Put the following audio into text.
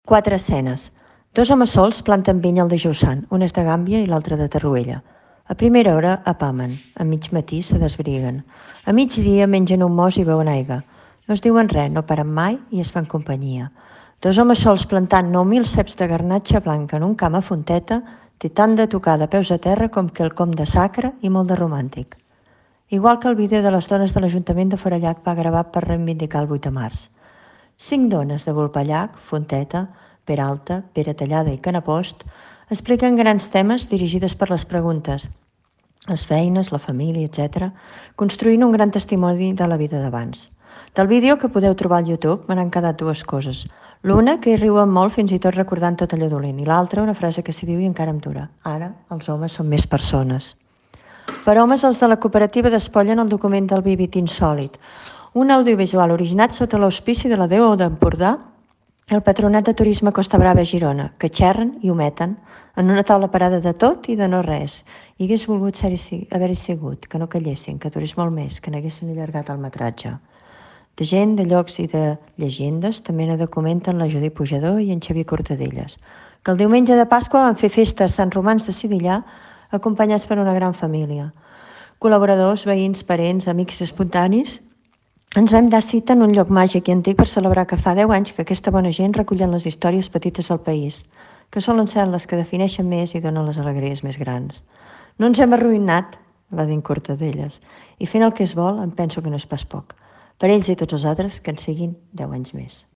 Quatre escenes. Dos homes sols planten vinya al dijous sant, un és de Gàmbia i l'altre de Torroella. A primera hora apamen, a mig matí se desbriguen. A migdia mengen un mos i beuen aigua. No es diuen res, no paren mai i es fan companyia. Dos homes sols plantant 9.000 ceps de garnatxa blanca en un camp a Fonteta té tant de tocar de peus a terra com quelcom de sacre i molt de romàntic. Igual que el vídeo de les dones de l'Ajuntament de Forallac va gravar per reivindicar el 8 de març. 5 dones de Vulpellac, Fonteta, Peralta, Pere Tallada i Canapost expliquen grans temes dirigides per les preguntes, les feines, la família, etc., construint un gran testimoni de la vida d'abans. Del vídeo que podeu trobar al YouTube me n'han quedat dues coses. L'una, que hi riuen molt fins i tot recordant tot allò dolent, i l'altra, una frase que s'hi diu i encara em dura. Ara, els homes són més persones. Per homes, els de la cooperativa despollen el document del Vivit Insòlit, un audiovisual originat sota l'auspici de la Déu d'Empordà, el Patronat de Turisme Costa Brava a Girona, que xerren i ometen en una taula parada de tot i de no res. I hagués volgut haver-hi sigut, que no callessin, que durés molt més, que n'haguessin allargat el metratge. De gent, de llocs i de llegendes també ne documenten la Judit Pujador i en Xavier Cortadellas, que el diumenge de Pasqua van fer festa a Sant Romans de Sidillà acompanyats per una gran família. Col·laboradors, veïns, parents, amics espontanis, ens vam dar cita en un lloc màgic i antic per celebrar que fa 10 anys que aquesta bona gent recullen les històries petites al país, que solen ser les que defineixen més i donen les alegries més grans. No ens hem arruïnat, va dir en Cortadellas, i fent el que es vol em penso que no és pas poc. Per ells i tots els altres, que en siguin 10 anys més.